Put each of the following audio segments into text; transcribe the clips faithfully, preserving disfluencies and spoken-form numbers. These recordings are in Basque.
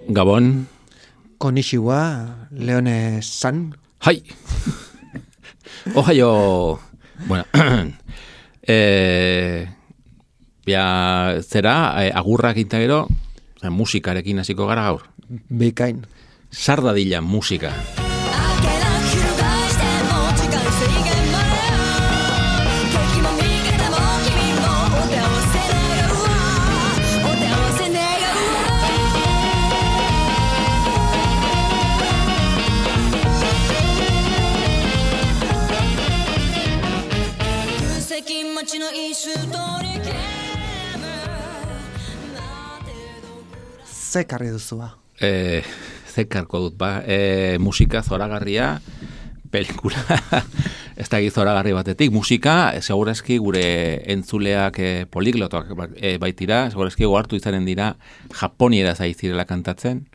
Gabon. Konnichiwa, Leone San. Hai. Ohaio. Bueno. eh, ja, zera, eh, agurrak inta gero, musikarekin hasiko gara gaur. Bikain. Sardadila musika. Zekarri duzua? Eh, zekarko dut, ba. Eh, musika zoragarria, pelikula, ez da zoragarri batetik. Musika, segurazki gure entzuleak eh, poliglotoak eh, baitira, segurazki gohartu izanen dira japoniera zaizirela kantatzen.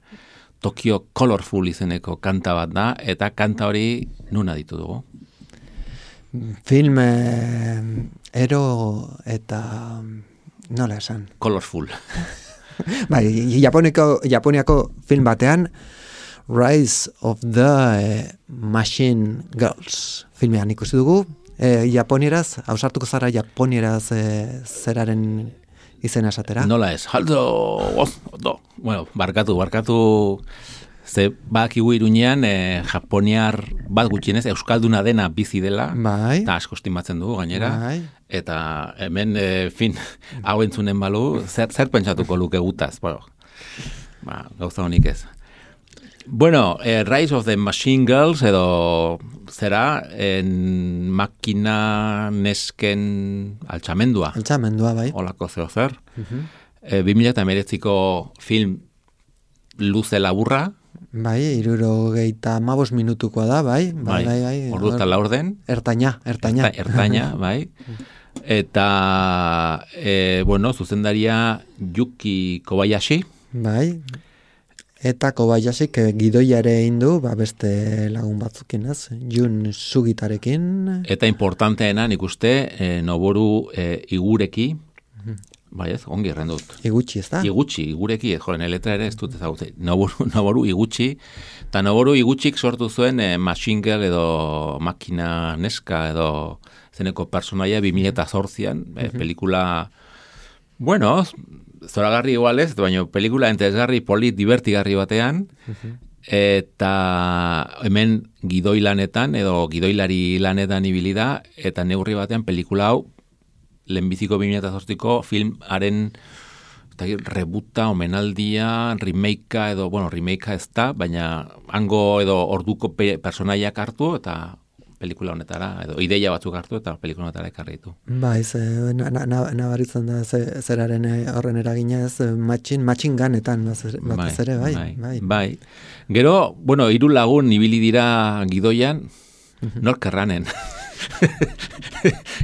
Tokyo Colorful izeneko kanta bat da, eta kanta hori nuna ditu dugu. Film eh, ero eta nola esan? Colorful. Bai, Japoniko, Japoniako film batean Rise of the eh, Machine Girls filmean ikusi dugu. Eh, Japonieraz, hausartuko zara Japonieraz eh, zeraren izena esatera? Nola ez? Haldo, ondo. Bueno, barkatu, barkatu. Ze bakigu Iruñean eh, japoniar bat gutxienez euskalduna dena bizi dela. Bai. Eta asko estimatzen dugu gainera. Bai. Eta hemen, e, fin, hau entzunen balu, zer, zer pentsatuko luke gutaz. Bueno, ba, gauza honik ez. Bueno, eh, Rise of the Machine Girls edo zera, en makina nesken altxamendua. Altxamendua, bai. Olako zeo zer. Uh-huh. E, bi mila hemeretziko film luze laburra. Bai, irurogeita hamabos minutukoa da, bai. Bai, bai, bai. Ordu eta laurden. Ertaina, ertaina. Erta, ertaina, bai. Eta, e, bueno, zuzendaria Yuki Kobayashi. Bai. Eta Kobayashi, que gidoiare indu, ba beste lagun batzukin, ez? Jun Sugitarekin. Eta importanteena, nik uste, e, Noboru e, Igureki, bai ez, ongi erren dut. Igutxi, ez da? Igutxi, Igureki, ez joren, letra ere ez dut ezagutze. Noboru, Noboru Igutxi, eta Noboru Igutxik sortu zuen e, Machine Girl edo makina neska edo zeneko personaia bi mila zortzian, e, uh-huh. Pelikula, bueno, zoragarri igual ez, baina pelikula entresgarri, polit, divertigarri batean, uh-huh. Eta hemen gidoi lanetan edo gidoilari lanetan ibili da, eta neurri batean pelikula hau lehenbiziko bi mila zortziko filmaren rebuta, omenaldia, remakea edo, bueno, remakea ez da, baina hango edo orduko pe, personaiak hartu eta pelikula honetara, edo ideia batzuk hartu eta pelikula honetara ekarri ditu. Bai, ze, nabaritzen na, na, da ze, zeraren horren eragina ez, matxin, matxin ganetan batez bai, ere, bai, bai, bai. Bai. Gero, bueno, hiru lagun ibili dira gidoian, uh-huh. Nork erranen.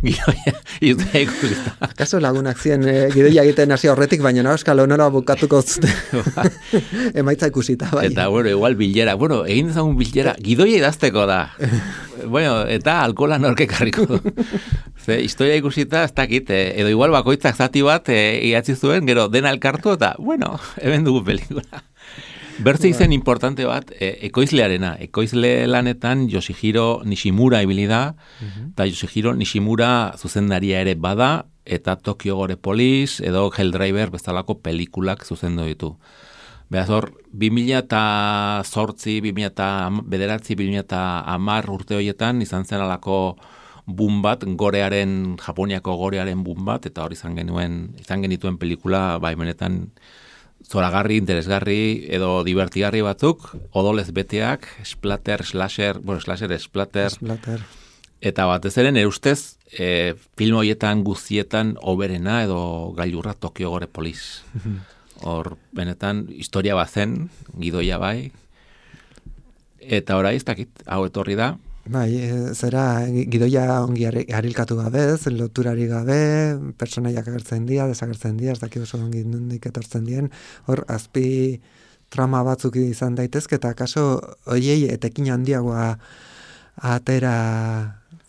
Gidoia, izutea ikusita. Akaso lagunak ziren eh, gidoia egiten hasi horretik, baina no, eskalo nola bukatuko zute. Emaitza ikusita, bai. Eta, bueno, igual bilera. Bueno, egin dezagun bilera, gidoia idazteko da. Bueno, eta alkola norke karriko du. Ze, historia ikusita, ez dakit, eh, edo igual bakoitzak zati bat eh, idatzi zuen, gero dena elkartu, eta, bueno, hemen dugu pelikula. Bertze izen importante bat, e, ekoizlearena. Ekoizle lanetan Yoshihiro Nishimura ibili da, eta uh-huh. Yoshihiro Nishimura zuzendaria ere bada, eta Tokyo Gore Police edo Helldriver bezalako pelikulak zuzendu ditu. Beraz hor, bi mila zortzi, bi mila bederatzi, bi mila hamar urte horietan izan zen alako boom bat, gorearen, Japoniako gorearen boom bat, eta hor izan genuen, izan genituen pelikula, bai benetan, zoragarri, interesgarri edo divertigarri batzuk, odolez beteak, splatter, slasher, bueno, slasher, splatter, splatter. Eta batez ere, nire ustez, e, film horietan guztietan oberena edo gailurra Tokyo Gore Police. Hor, benetan, historia bazen, gidoia bai, eta orai, ez dakit, hau etorri da. Bai, zera gidoia ongi harilkatu gabe, loturari gabe, personaiak agertzen dira, desagertzen dira, ez dakit oso ongi nondik etortzen dien, hor azpi trama batzuk izan daitezke, eta kaso oiei etekin handiagoa atera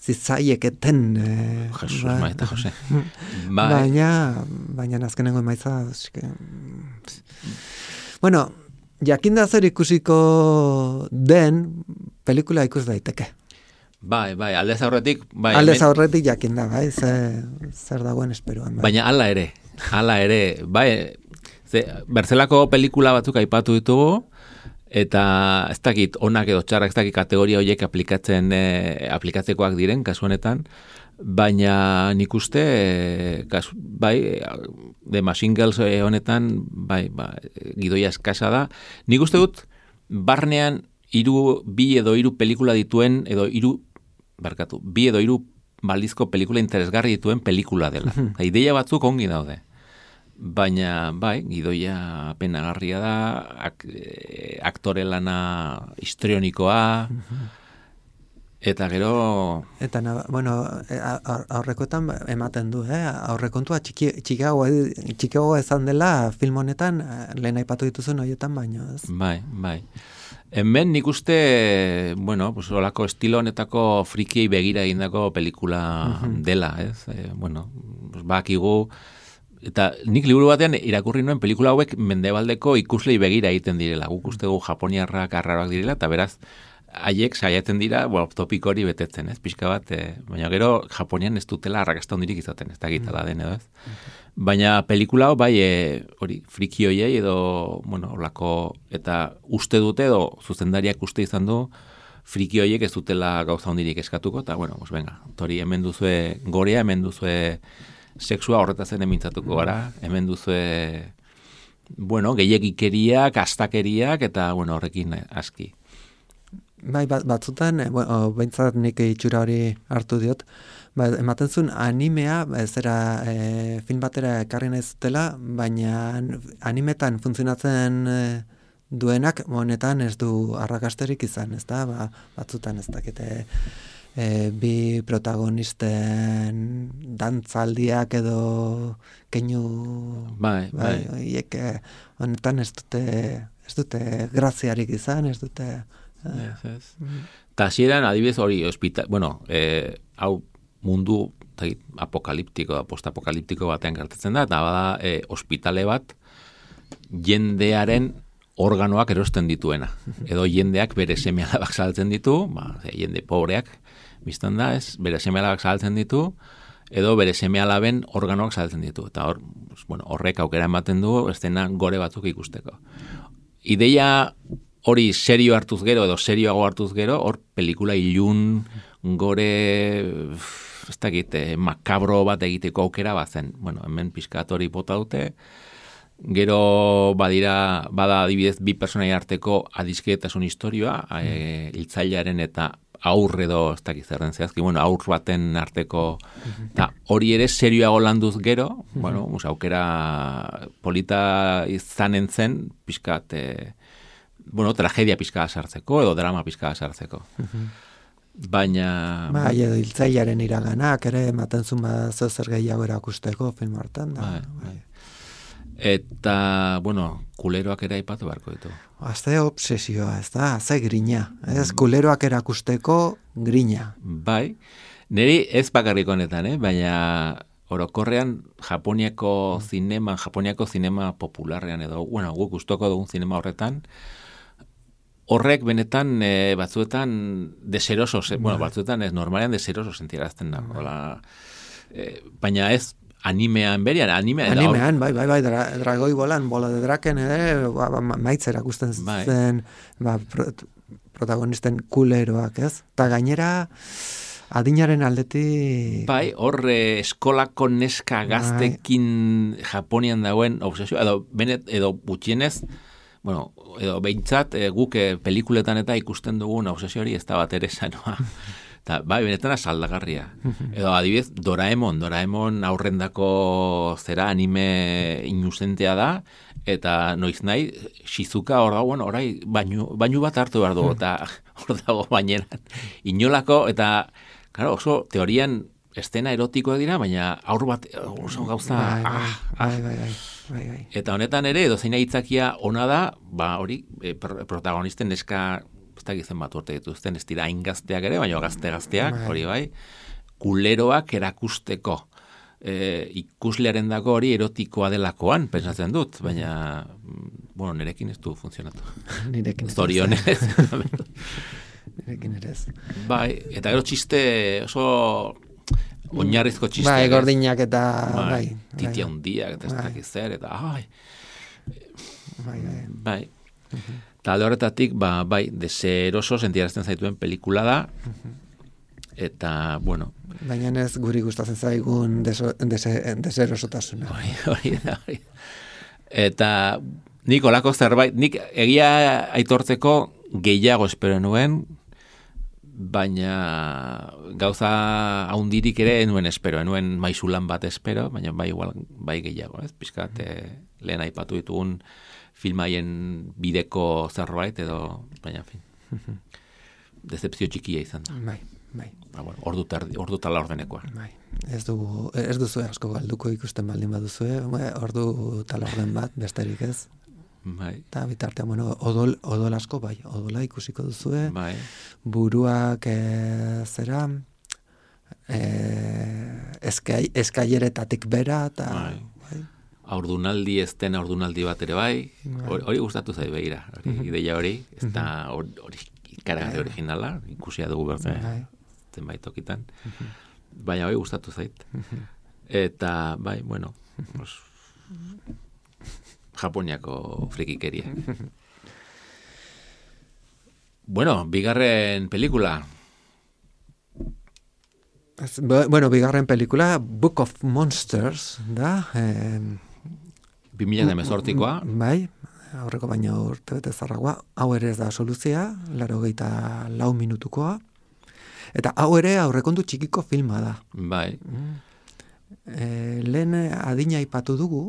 zitzaieketen. Eh, Jesus, ba, maita, Jose. Baina, baina azkenengo emaitza, eske, bueno, jakinda zer ikusiko den pelikula ikus daiteke. Bai, bai, aldez aurretik, bai. Aldez aurretik jakinda, bai, ze, zer dagoen esperoan. Bai. Baina hala ere, hala ere, bai, ze, berzelako pelikula batzuk aipatu ditugu, eta ez dakit onak edo txarrak, ez dakit kategoria horiek aplikatzen, eh, aplikatzekoak diren, kasu honetan, baina nik uste, eh, kasu, bai, The Machine Girls honetan, bai, ba, gidoia eskasa da. Nik uste dut, barnean, hiru bi edo hiru pelikula dituen, edo hiru, barkatu, bi edo hiru baldizko pelikula interesgarri dituen pelikula dela. Ideia batzuk ongi daude. Baina, bai, gidoia penagarria da, ak, aktore lana histrionikoa, eta gero... Eta, bueno, aurrekoetan ematen du, eh? Aurrekontua txiki, txikiago, txikiago ezan dela film honetan, lehen aipatu dituzun horietan baino, ez? Bai, bai. Hemen nik uste, bueno, pues, olako estilo honetako frikiei begira egindako pelikula uh-huh. dela, ez? E, bueno, pues, bakigu, eta nik liburu batean irakurri nuen pelikula hauek mendebaldeko ikuslei begira egiten direla. Guk ustegu japoniarrak arraroak direla, eta beraz, haiek saiatzen dira, bueno, topiko hori betetzen, ez? Pixka bat, e, baina gero Japonian ez dutela arrakasta hondirik izaten, ez da gitala den edo, ez? Baina pelikula bai, e, hori, friki hoiei edo, bueno, olako, eta uste dute edo zuzendariak uste izan du, friki hoiek ez dutela gauza hondirik eskatuko, eta, bueno, pues venga, tori hemen duzue gorea, hemen duzue sexua horretazen emintzatuko gara, hemen duzue, bueno, gehiagikeriak, astakeriak, eta, bueno, horrekin aski. Bai, bat, batzutan, e, bueno, behintzat nik itxura hori hartu diot, ba, ematen zuen animea, zera e, film batera ekarri nahi zutela, baina animetan funtzionatzen e, duenak, honetan ez du arrakasterik izan, ez da, ba, batzutan ez dakite e, bi protagonisten dantzaldiak edo keinu, bai, bai. bai, iek, honetan ez dute, ez dute graziarik izan, ez dute... Yes, yes. Ta hasieran adibidez hori hospital, bueno, eh, hau mundu tagit, apokaliptiko, postapokaliptiko batean gertatzen da, eta bada eh, ospitale bat jendearen organoak erosten dituena. Edo jendeak bere seme-alabak saltzen ditu, ba, jende pobreak, biztan da, ez, bere seme-alabak saltzen ditu, edo bere seme-alaben organoak saltzen ditu. Eta hor, bueno, horrek aukera ematen du, estena gore batzuk ikusteko. Ideia hori serio hartuz gero, edo serioago hartuz gero, hor pelikula ilun, gore, ez dakit, makabro bat egiteko aukera bazen. Bueno, hemen pixkat hori bota dute, gero badira, bada adibidez bi personai arteko adiskidetasun historioa, mm. e, hiltzailearen eta aur edo, ez dakit zerren zehazki, bueno, aur baten arteko, eta hori ere serioago landuz gero, mm-hmm. bueno, mus, aukera polita izanen zen, pixkat, e, bueno, tragedia pizka sartzeko edo drama pizka sartzeko. Uh-huh. Baina... Bai, edo hiltzailearen iraganak ere ematen zuen ba zer gehiago erakusteko film hartan da. Bai, bai. Eta, bueno, kuleroak ere aipatu beharko ditu. Azte obsesioa, ez da, ze grina. Ez, kuleroak erakusteko grina. Bai, niri ez bakarrik honetan, eh? Baina orokorrean Japoniako zinema, Japoniako zinema popularrean edo, bueno, guk gustoko dugun zinema horretan, horrek benetan e, batzuetan deseroso, e, bueno, batzuetan ez normalean deseroso sentiarazten da. Hola, e, baina ez animean berian, animean. Animean, bai, bai, bai, dra, dragoi bolan, bola de draken, ere, ba, ba, maitz erakusten bai. Zen, ba, pro, protagonisten kuleroak, ez? Ta gainera, adinaren aldetik... Bai, hor eh, eskolako neska gaztekin bai. Japonian dagoen obsesio, edo, benet, edo gutxienez, bueno, edo behintzat e, guk e, pelikuletan eta ikusten dugun obsesio hori ez da bat ere sanoa. Eta, bai, benetan asaldagarria. Edo adibidez, Doraemon, Doraemon aurrendako zera anime inusentea da, eta noiz nahi, Shizuka hor dago, bueno, orai, bainu, bainu bat hartu behar dugu, eta hor dago baineran. Inolako, eta, claro, oso teorian estena erotikoa dira, baina aur bat oso gauza... Bai, bai, ah, bai, bai, bai. Bai, bai. Eta honetan ere, edo zeina hitzakia ona da, ba hori, e, protagonisten neska, ez da gizen bat urte dituzten, ez dira hain gazteak ere, baina gazte-gazteak, hori bai, kuleroak erakusteko. E, ikuslearen dago hori erotikoa delakoan, pentsatzen dut, baina bueno, nerekin ez du funtzionatu. Nirekin Zorionez. Nirekin ere ez. Bai, eta gero txiste oso oinarrizko txiste. Bai, gordinak eta, bai. bai bai. Titia hundiak, eta ez Bai. dakit zer, eta, ai, Bai, bai. bai. Eta alde horretatik, ba, bai, deseroso sentiarazten zaituen pelikula da, eta, bueno, Baina ez guri gustatzen zaigun deso, dese, deserosotasuna. hori, hori da, hori. Eta nik olako zerbait, nik egia aitortzeko gehiago espero nuen, baina gauza haundirik ere enuen espero, enuen maizulan bat espero, baina bai igual, bai gehiago, ez? Piskat, eh, lehen aipatu ditugun filmaien bideko zerbait, edo, baina, en fin, decepzio txikia izan da. Bai, bai. Ba, bueno, ordu, tardi, ordu tala ordenekoa. Bai. Ez dugu, ez duzu asko galduko ikusten baldin baduzue, ordu tala orden bat, besterik ez. Bai. Eta bitartean, bueno, odol, odol asko, bai, odola ikusiko duzue, Bai. buruak e, zera, e, eskai, eskaileretatik bera, eta Bai. bai. Aurdunaldi ez den aurdunaldi bat ere bai, Bai. hori, hori gustatu zait begira, hori, ideia hori, ez da hori, hori ikaragarri originala, ikusia dugu berte, Bai. zenbait tokitan, baina hori gustatu zait. Eta, bai, bueno, pues, Japoniako frikikeria. Bueno, bigarren pelikula. Ez, bueno, bigarren pelikula, Book of Monsters, da, eh, bi mila hemezortzikoa. Bai, aurreko baino urte bete zarragoa, hau ere ez da soluzia, laurogeita lau minutukoa, eta hau ere aurrekontu txikiko filma da. Bai. E, lehen adina aipatu dugu,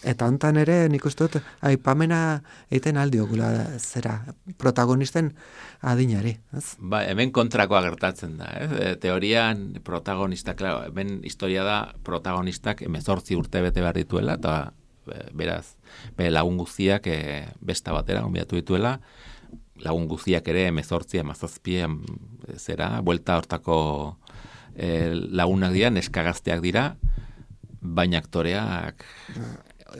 eta hontan ere nik uste dut aipamena egiten aldiogula zera protagonisten adinari, ez? Ba, hemen kontrakoa gertatzen da, eh? E, teorian protagonista, claro, hemen historia da protagonistak hemezortzi urte bete behar dituela, eta e, beraz, bere lagun guztiak e, besta batera gonbidatu dituela, lagun guztiak ere hemezortzi, hamazazpi, zera, buelta hortako e, lagunak dira, neskagazteak dira, baina aktoreak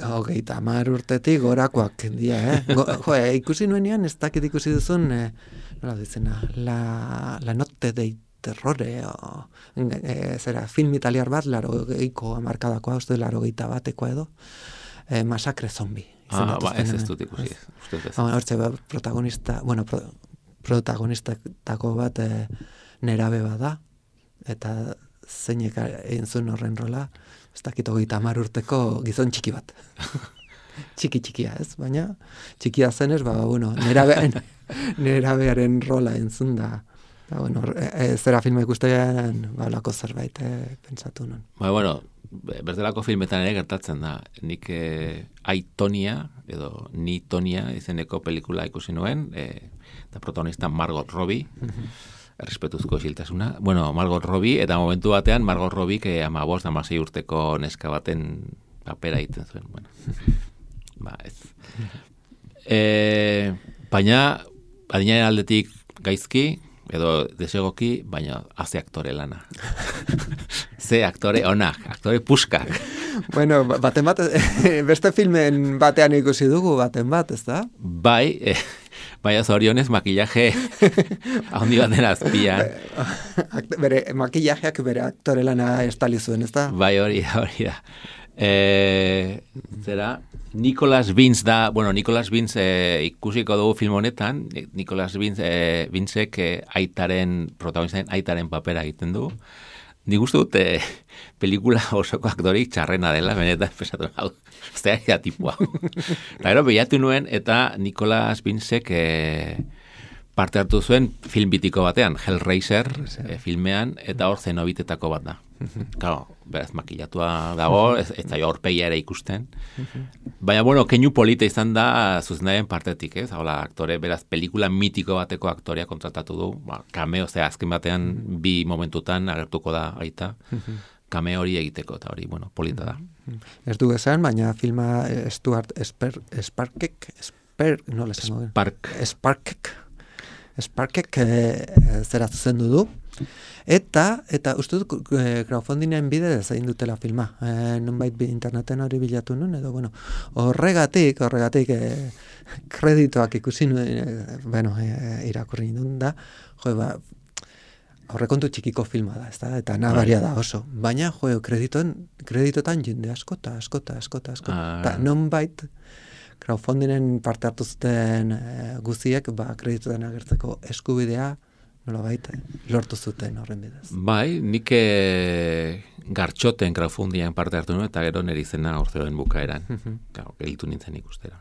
Hogeita hamar urtetik gorakoak dira, eh? Go, jo, eh, ikusi nuenean, ez dakit ikusi duzun, eh, nola dizena, la, la notte dei terrore, o, eh, zera, film italiar bat, laro geiko amarkadakoa, uste laro geita batekoa edo, eh, masakre zombi. Ah, ba, ez ez dut ikusi. Hortze, ba, protagonista, bueno, pro, protagonistakako bat eh, nerabe bada, eta zeinek egin zuen horren rola, ez dakit hogeita hamar urteko gizon txiki bat. Txiki txikia, ez? Baina txikia zenez, ba, bueno, nerabearen, nerabearen rola entzun da. Ba, bueno, e, e, zera filma ikustean, ba, lako zerbait, e, pentsatu non. Ba, bueno, berdelako filmetan ere gertatzen da. Nik eh, Aitonia, edo Ni Tonia izeneko pelikula ikusi nuen, eh, eta protagonista Margot Robbie, errespetuzko isiltasuna. Bueno, Margot Robbie, eta momentu batean Margot Robbie, que ama bost, amasei urteko neska baten papera egiten zuen. Bueno, ba, ez. E, baina, adinaren aldetik gaizki, edo desegoki, baina haze aktore lana. Ze aktore onak, aktore puskak. Bueno, baten bat, beste filmen batean ikusi dugu, baten bat, ez da? Bai, eh, baina zorionez makillaje handi baten azpian. Bere makillajeak bere aktore lana estali zuen, ez da? Bai, hori da, hori da. E, zera, Nicholas Vince da, bueno, Nicholas Vince e, ikusiko dugu film honetan, Nicholas Vince, e, Vincek e, aitaren, protagonistaren aitaren papera egiten du. Nik uste dut, e, pelikula osoko aktorik txarrena dela, benetan, pesatu, hau, zera tipua. Eta gero, behatu nuen, eta Nicholas Vincek e, parte hartu zuen film bitiko batean, Hellraiser e, filmean, eta hor zenobitetako bat da. Claro, beraz, makillatua dago, ez, ez da horpegia ere ikusten. Baina, bueno, keinu polita izan da zuzenaren partetik, ez? Hola, aktore, beraz, pelikula mitiko bateko aktorea kontratatu du, ba, kameo, ze azken batean bi momentutan agertuko da aita, kameo hori egiteko, eta hori, bueno, polita da. Ez du esan, baina filma Stuart Sper, Sparkek, Sper, nola esango den? Spark. Sparkek, Sparkek e, zera zuzendu du, Eta, eta uste dut crowdfundingen bidez egin dutela filma. E, nonbait interneten hori bilatu nun, edo, bueno, horregatik, horregatik e, kreditoak ikusi nuen, e, bueno, e, irakurri nuen da, jo, ba, aurrekontu txikiko filma da, ezta? Eta nabaria da oso. Baina, jo, kreditoen, kreditotan jende askota, askota, askota, askota. Ah. Eta nonbait, crowdfundingen parte hartu zuten e, guziek, ba, kreditotan agertzeko eskubidea, nolabait, lortu zuten horren bidez. Bai, nik e, gartxoten crowdfundingen parte hartu nuen, eta gero nire izena orzeoen bukaeran. Gau, gelitu nintzen ikustera.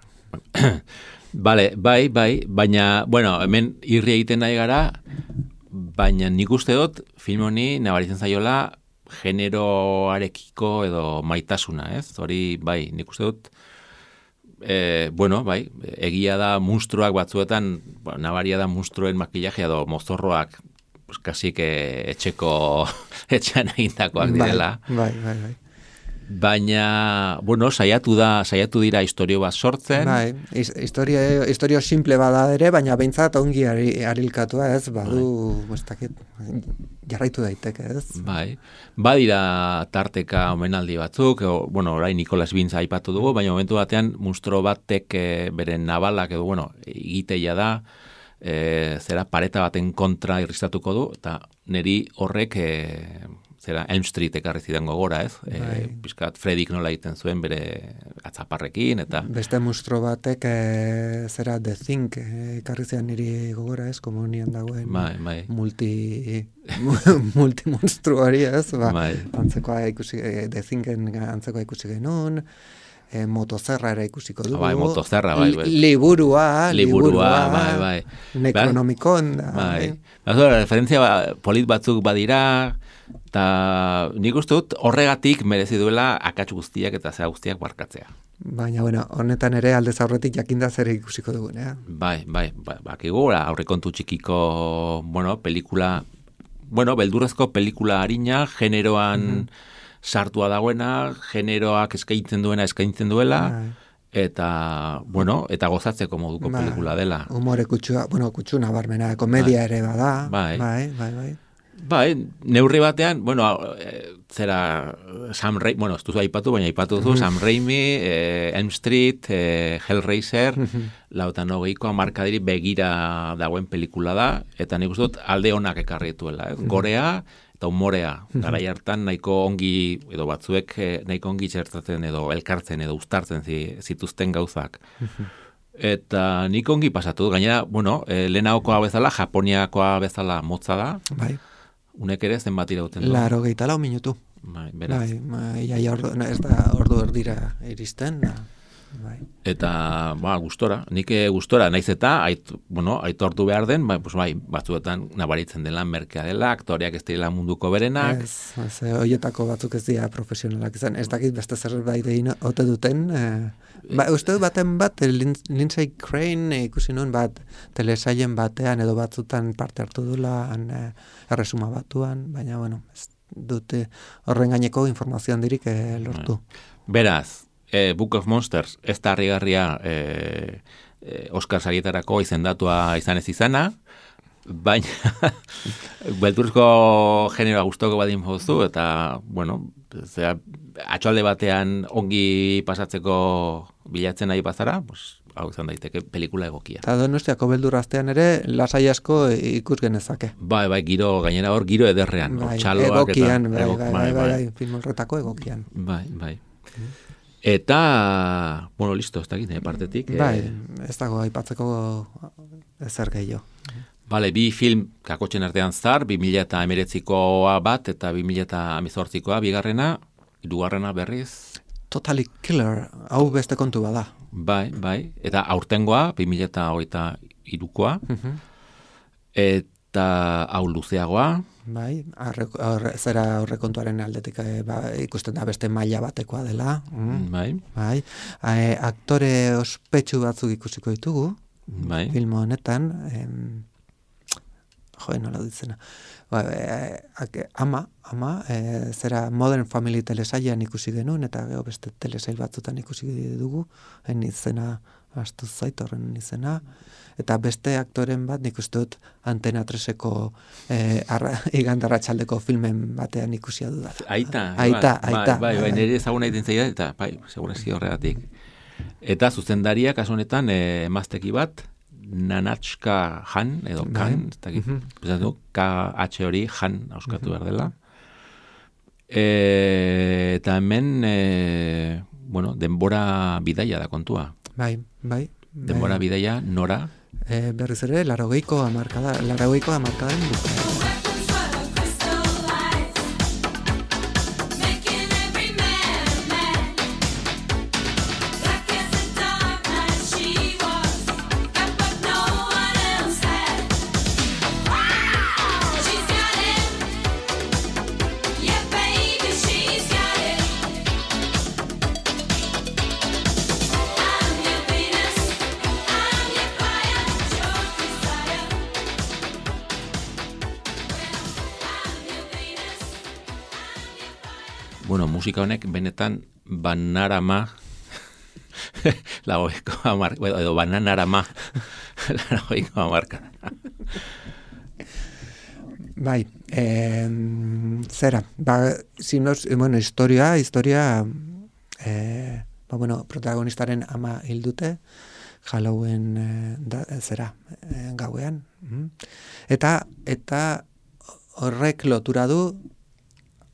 Vale, bai, bai, baina, bueno, hemen irri egiten nahi gara, baina nik uste dut film honi nabaritzen zaiola generoarekiko edo maitasuna, ez? Hori, bai, nik uste dut E, bueno, bai, egia da monstruak batzuetan, bueno, nabaria da monstruen makillajea edo mozorroak, pues, kasik etxeko etxean egindakoak direla. Bai, bai, bai. Baina, bueno, saiatu da, saiatu dira istorio bat sortzen. Bai, historia, historia simple bada ere, baina behintzat ongi arilkatua ez, badu, ez dakit, jarraitu daiteke ez. Bai, badira tarteka omenaldi batzuk, o, bueno, orain Nicolas Bintz aipatu dugu, baina momentu batean monstro batek e, beren nabalak edo, bueno, egiteia da, e, zera pareta baten kontra irristatuko du, eta niri horrek e, zera Elm Street ekarri zidan gogora, ez? Bai. E, Piskat Fredik nola egiten zuen bere atzaparrekin, eta... Beste monstro batek e, zera The Thing ekarri zidan niri gogora, ez? Komunian dagoen bai, bai. multi... multimonstru hori, ez? Ba, bai. Antzekoa ikusi, The Thingen antzekoa ikusi genuen, e, motozerra ere ikusiko dugu. Bai, motozerra, bai, bai. Liburua, liburua, bai, bai. Necronomicon, da. Bai. Bai. Referentzia ba, polit batzuk badira, eta nik uste dut horregatik merezi duela akats guztiak eta zera guztiak barkatzea. Baina, bueno, honetan ere aldez aurretik jakinda zer ikusiko dugun, eh? Bai, bai, bai, bakigu, aurrekontu txikiko, bueno, pelikula, bueno, beldurrezko pelikula harina, generoan mm-hmm. sartua dagoena, generoak eskaintzen duena eskaintzen duela, bai. Eta, bueno, eta gozatzeko moduko bai. Pelikula dela. Humore kutsua, bueno, kutsu nabarmena, komedia bai. Ere bada, bai, bai, bai, bai. Bai, neurri batean, bueno, e, zera Sam Raimi, bueno, ez duzu aipatu, baina aipatu duzu, Sam Raimi, e, Elm Street, e, Hellraiser, lautan hogeikoa markadiri begira dagoen pelikula da, eta nik uste dut alde honak ekarri dituela, ez? Gorea eta humorea, garai hartan nahiko ongi, edo batzuek nahiko ongi txertatzen edo elkartzen edo uztartzen zituzten gauzak. Eta nik ongi pasatu, gainera, bueno, e, lehenagokoa bezala, Japoniakoa bezala motza da, bai. Unek ere zenbat irauten du? Laro gehi lau minutu. Bai, beraz. Bai, bai, ja, ordu, ez da ordu erdira iristen. Da. Bai. Eta, ba, gustora. Nik gustora, naiz eta, ait, bueno, aitortu behar den, bai, pues, bai, batzuetan nabaritzen dela merkea dela, aktoreak ez direla munduko berenak. Ez, ez, hoietako batzuk ez dira profesionalak izan. Ez dakit beste zerbait egin ote duten, eh, ba, uste dut baten bat, Lindsay Crane ikusi nuen bat, telesailen batean edo batzutan parte hartu dula, han, eh, erresuma batuan, baina, bueno, ez dute horren gaineko informazio handirik eh, lortu. Beraz, eh, Book of Monsters, ez da harrigarria eh, eh, Oscar sarietarako izendatua izan ez izana, baina belturko generoa gustoko badin jozu, eta, bueno, zera, atxalde batean ongi pasatzeko bilatzen nahi bazara, pues, hau izan daiteke pelikula egokia. Eta Donostiako beldurraztean ere lasai asko ikus genezake. Bai, bai, giro, gainera hor giro ederrean. Bai, txaloak egokian, eta, bai, egok, bai, bai, bai, bai, film horretako egokian. Bai, bai. Eta, bueno, listo, ez dakit, eh, partetik. Bai, eh, ez dago aipatzeko ezer gehiago. Bale, bi film kakotzen artean zar, bi mila eta emeretzikoa bat eta bi mila eta amizortzikoa, bigarrena, hirugarrena berriz. Totally Killer, hau beste kontu bada. Bai, bai, eta aurtengoa, bi mila eta hogeita hirukoa, eta hau luzeagoa. Bai, arre, arre, zera aurrekontuaren aldetik eh, ba, ikusten da beste maila batekoa dela. Mm. Bai. Bai, e, aktore ospetsu batzuk ikusiko ditugu, bai. Film honetan, em, jo, nola ditzena. Ba, e, ama, ama, e, zera Modern Family telesailean ikusi genuen, eta gero beste telesail batzutan ikusi dugu, en izena, astu zait horren izena, eta beste aktoren bat nik uste dut Antena treseko e, igandarratxaldeko filmen batean ikusia dudat. Aita, aita, bai, aita. Bai, bai, nire ezaguna egiten zaila, eta bai, segurazki horregatik. Eta zuzendaria, kasu honetan, e, emazteki bat, Nanatxka Han, edo Kan, ez dakit, mm-hmm. K H hori Han auskatu behar dela. E, eta hemen, e, bueno, denbora bidaia da kontua. Bai, bai. Denbora bai. bidaia, nora? E, berriz ere, larogeiko amarkada, larogeiko amarkadan bukaera. Bueno, musika honek benetan banarama lagoiko amar, edo bananarama lagoiko amarka. Bai, eh, zera, ba, sinos, bueno, historia, historia, eh, ba, bueno, protagonistaren ama hildute, Halloween eh, da, zera, eh, gauean. Eta, eta horrek lotura du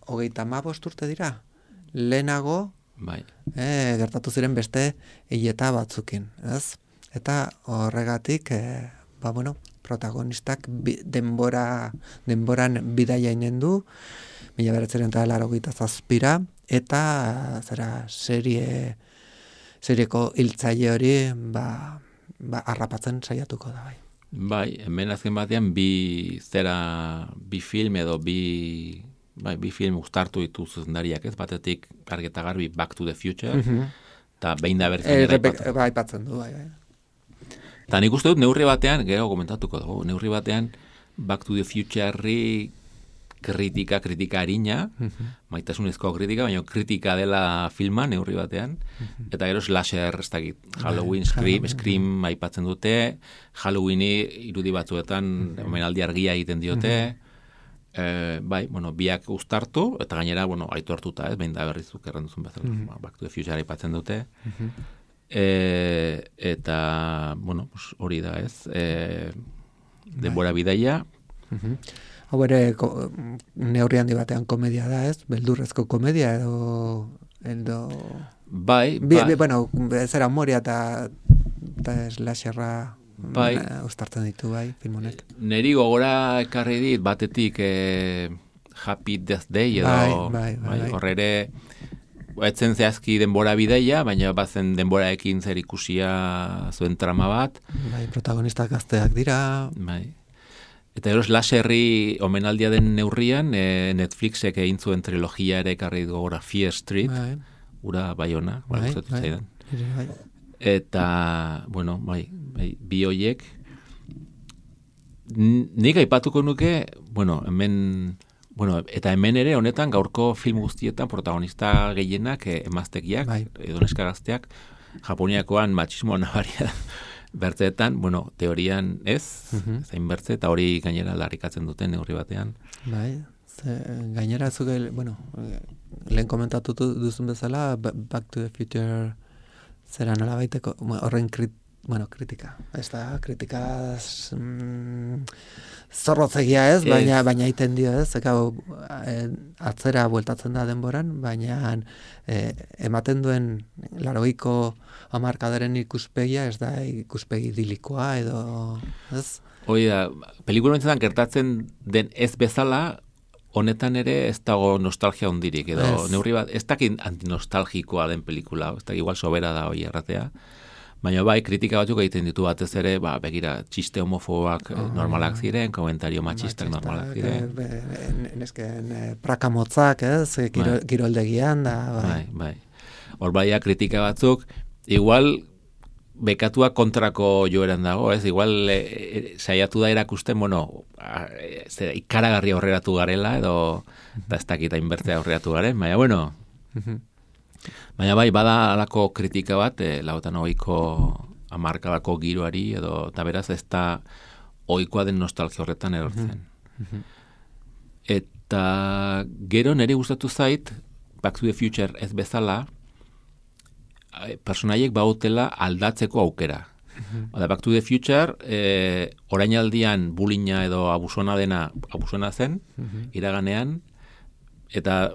hogeita hamabost urte dira, lehenago bai. e, gertatu ziren beste hileta batzukin, ez? Eta horregatik, e, ba bueno, protagonistak bi, denbora, denboran bidaia inen du, mila bederatziehun eta laurogeita zazpira, eta zera serie, serieko hiltzaile hori, ba, ba, harrapatzen saiatuko da, bai. Bai, hemen azken batean bi zera, bi film edo bi... Bai, bi film uztartu ditu zuzendariak ez, batetik argeta garbi Back to the Future, eta mm-hmm. behin da bertzen e, aipatzen. Bai, aipatzen du, bai, bai. Eta nik uste dut neurri batean, gero komentatuko dugu, neurri batean Back to the Future-ri kritika, kritika harina, mm-hmm. maitasunezko kritika, baina kritika dela filma neurri batean, mm-hmm. eta gero slasher, ez dakit, Halloween, Scream, Scream aipatzen dute, Halloweeni irudi batzuetan mm-hmm. omenaldi argia egiten diote, mm-hmm. Eh, bai, bueno, biak uztartu, eta gainera, bueno, aitu hartuta, ez, behin da berrizuk erranduzun bezala, mm-hmm. Back to the Future aipatzen dute. Mm-hmm. Eh, eta, bueno, hori da, ez, eh, denbora bai. Bidaia. Mm-hmm. Hau ere, neurri handi batean komedia da, ez, beldurrezko komedia, edo... edo... Bai, bi, bai. Bi, bueno, zera humoria eta, eta slasherra... Bai. Uztartzen ditu, bai, film honek. Neri gogora ekarri dit, batetik eh, Happy Death Day, edo bai, bai, bai, bai. horrere, etzen zehazki denbora bideia, baina bazen denboraekin zer ikusia zuen trama bat. Bai, protagonistak gazteak dira. Bai. Eta eros laserri omenaldia den neurrian, eh, Netflixek egin zuen trilogia ere ekarri gogora Fear Street, bai. Ura Baiona, bai, bai, bai, bai, bai. Eta, bueno, bai, bai, bi hoiek nik aipatuko nuke, bueno, hemen, bueno, eta hemen ere honetan gaurko film guztietan protagonista gehienak eh, emaztekiak, bai. Edo neska gazteak, Japoniakoan matxismo nabaria bertzeetan, bueno, teorian ez, uh-huh. zain bertze, eta hori gainera larikatzen duten neurri batean. Bai, ze, gainera zuke, bueno, lehen komentatu duzun bezala, Back to the Future zera nola baiteko, horren krit, bueno, kritika. Ez da, kritikaz mm, zorrotzegia ez, ez, baina baina iten dio ez, eka, e, atzera bueltatzen da denboran, baina e, ematen duen larogeiko hamarkadaren ikuspegia ez da ikuspegi idilikoa edo, ez? Hoi da, pelikula entzetan gertatzen den ez bezala, honetan ere ez dago nostalgia hondirik, edo ez. Neurri bat, ez dakit antinostalgikoa den pelikula, ez dakit igual sobera da hoi erratea, baina bai, kritika batzuk egiten ditu batez ere, ba, begira, txiste homofobak oh, normalak ziren, komentario matxistak normalak ziren. Nesken prakamotzak, ez, kiro, bai. Kiroldegian da, bai. Bai, bai. Hor baia kritika batzuk, igual, bekatua kontrako joeran dago, ez? Igual e, e, saiatu da erakusten, bueno, a, e, zera, ikaragarri aurreratu garela, edo eta ez dakita inbertzea aurreratu garen, baina, bueno, baina bai, bada alako kritika bat, e, lautan hogeiko amarkadako giroari, edo, eta beraz, ez da ohikoa den nostalgia horretan erortzen. Eta gero nire gustatu zait, Back to the Future ez bezala, personaiek bautela aldatzeko aukera. Oda, Back to the Future, e, orainaldian bulina edo abusona dena abusona zen, iraganean, eta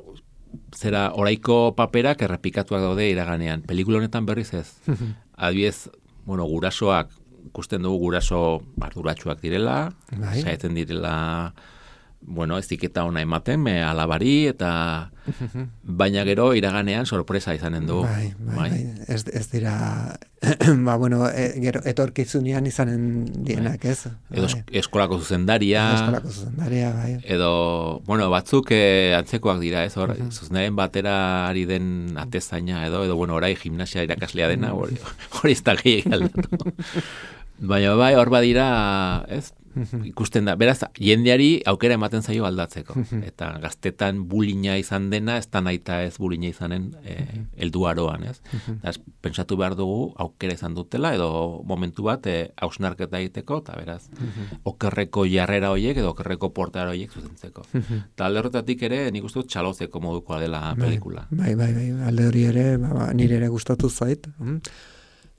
zera oraiko paperak errepikatuak daude iraganean. Pelikula honetan berriz ez. Adibidez, bueno, gurasoak, ikusten dugu guraso arduratsuak direla, saiatzen direla, bueno, ez diketa ona ematen, me alabari, eta baina gero iraganean sorpresa izanen du. Bai, bai, bai. Ez, ez dira, ba, bueno, e, gero etorkizunean izanen dienak, ez? Edo bai. Eskolako zuzendaria. Eskolako zuzendaria, bai. Edo, bueno, batzuk eh, antzekoak dira, ez? Hor, uh-huh. Zuzendaren batera ari den atezaina, edo, edo, bueno, orai gimnasia irakaslea dena, hori, hori ez da gehiagin aldatu. Baina bai, hor badira, ez? Ikusten da, beraz, jendeari aukera ematen zaio aldatzeko. Eta gaztetan bulina izan dena, ez da naita ez bulina izanen eh, eldu aroan, ez? Eta pentsatu behar dugu aukera izan dutela, edo momentu bat eh, hausnarketa egiteko, eta beraz, okerreko jarrera horiek, edo okerreko portara horiek zuzentzeko. Eta alde horretatik ere, nik uste dut txalozeko modukoa dela pelikula. Bai, bai, bai, alde hori ere, ba, nire ere gustatu zait.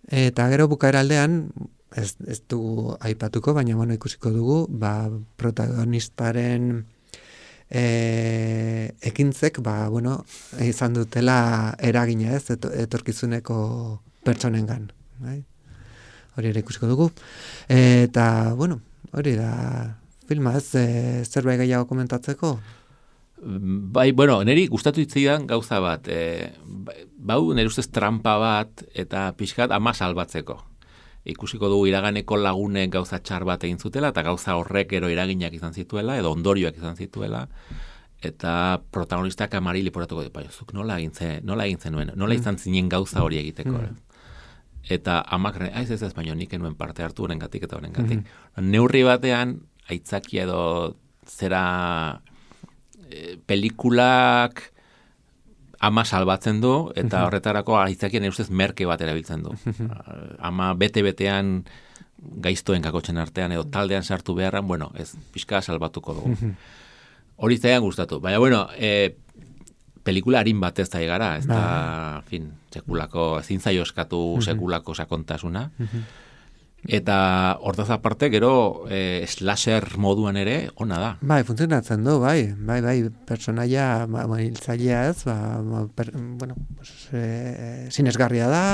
Eta gero bukaera aldean, Ez, ez dugu aipatuko, baina bueno, ikusiko dugu, ba, protagonistaren e, ekintzek, ba, bueno, izan dutela eragina, ez, etorkizuneko pertsonengan. Bai? Hori ere ikusiko dugu. Eta, bueno, hori da filma, ez, e, zerbait gehiago komentatzeko? Bai, bueno, niri gustatu hitzaidan gauza bat, e, bau nire ustez trampa bat, eta pixkat ama salbatzeko. Ikusiko dugu iraganeko lagunek gauza txar bat egin zutela, eta gauza horrek ero eraginak izan zituela, edo ondorioak izan zituela, eta protagonistak amari liporatuko dut, zuk nola egin zen, nola egin zenuen, nola izan zinen gauza hori egiteko. Mm. Eta amak, aiz ez ez, baino nik enuen parte hartu horrengatik eta horrengatik. Mm. Neurri batean, aitzakia edo zera e, pelikulak ama salbatzen du, eta horretarako aitzakien ustez merke bat erabiltzen du. Ama bete-betean gaiztoen kakotxen artean, edo taldean sartu beharran, bueno, ez, pixka salbatuko dugu. Hori zaian gustatu. Baina, bueno, e, pelikula harin batez da egara, ez da, fin, sekulako, ezin zaio eskatu sekulako sakontasuna. Eta hortaz aparte, gero e, slasher moduan ere ona da. Bai, funtzionatzen du, bai, bai, bai, personaia, ba, hiltzailea ez, ba, per, bueno, pues, e, sinesgarria da,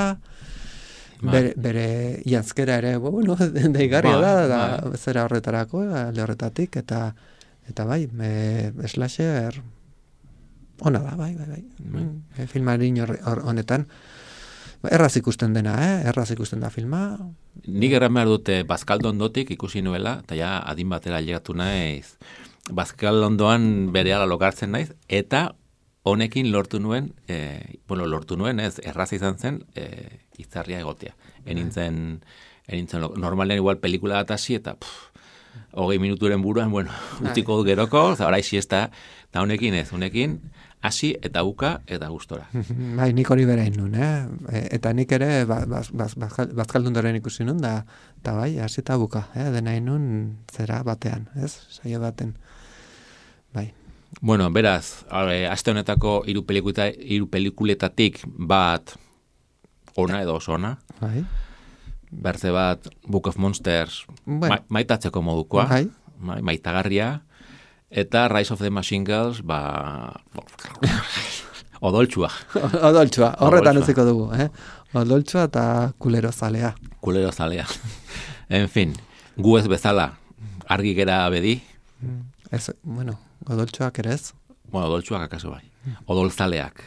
bai. bere, bere janzkera ere, bueno, deigarria bai, da, da bai. Zera horretarako, alde horretatik, eta, eta bai, e, slasher ona da, bai, bai, bai, bai. E, filmarin honetan, erraz ikusten dena, eh? Erraz ikusten da filma. Nik erran behar dute Bazkaldondotik ikusi nuela, eta ja adin batera llegatu naiz. Bazkaldondoan berehala lokartzen naiz, eta honekin lortu nuen, e, bueno, lortu nuen, ez, erraz izan zen, e, itzarria egotea. Enintzen, enintzen, normalen igual pelikula bat hasi, eta pff, hogei minuturen buruan, bueno, utiko geroko, orai siesta, eta honekin ez, honekin, hasi eta buka eta gustora. Bai, nik hori berain nun, eh? Eta nik ere Bazkaldundoren ikusi nun, da, eta bai, hasi eta buka, eh? Denain nun zera batean, ez? Saio baten. Bai. Bueno, beraz, aste honetako hiru pelikuleta, hiru pelikuletatik bat ona edo oso ona. Bai. Bertze bat Book of Monsters, bueno. ma, maitatzeko modukoa, bai. Ma, maitagarria, eta Rise of the Machine Girls, ba... odoltsua. Odoltsua, horretan utziko dugu, eh? Odoltsua eta kulero zalea. Kulero zalea. En fin, gu ez bezala, argi gera bedi. Ez, bueno, odoltsuak ere ez? Bueno, odoltsuak akaso bai. Odoltzaleak,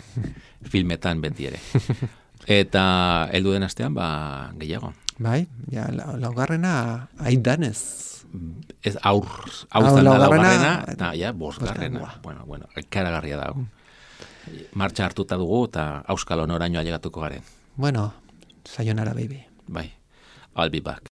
filmetan beti ere. Eta heldu den astean, ba, gehiago. Bai, ja, laugarrena aidanez. Ez aur, hau zan da laugarrena, eta ja, bosgarrena. Bueno, bueno, ikaragarria dago. Martxa hartuta dugu, eta auskalo noraino ailegatuko garen. Bueno, sayonara, baby. bai. I'll be back.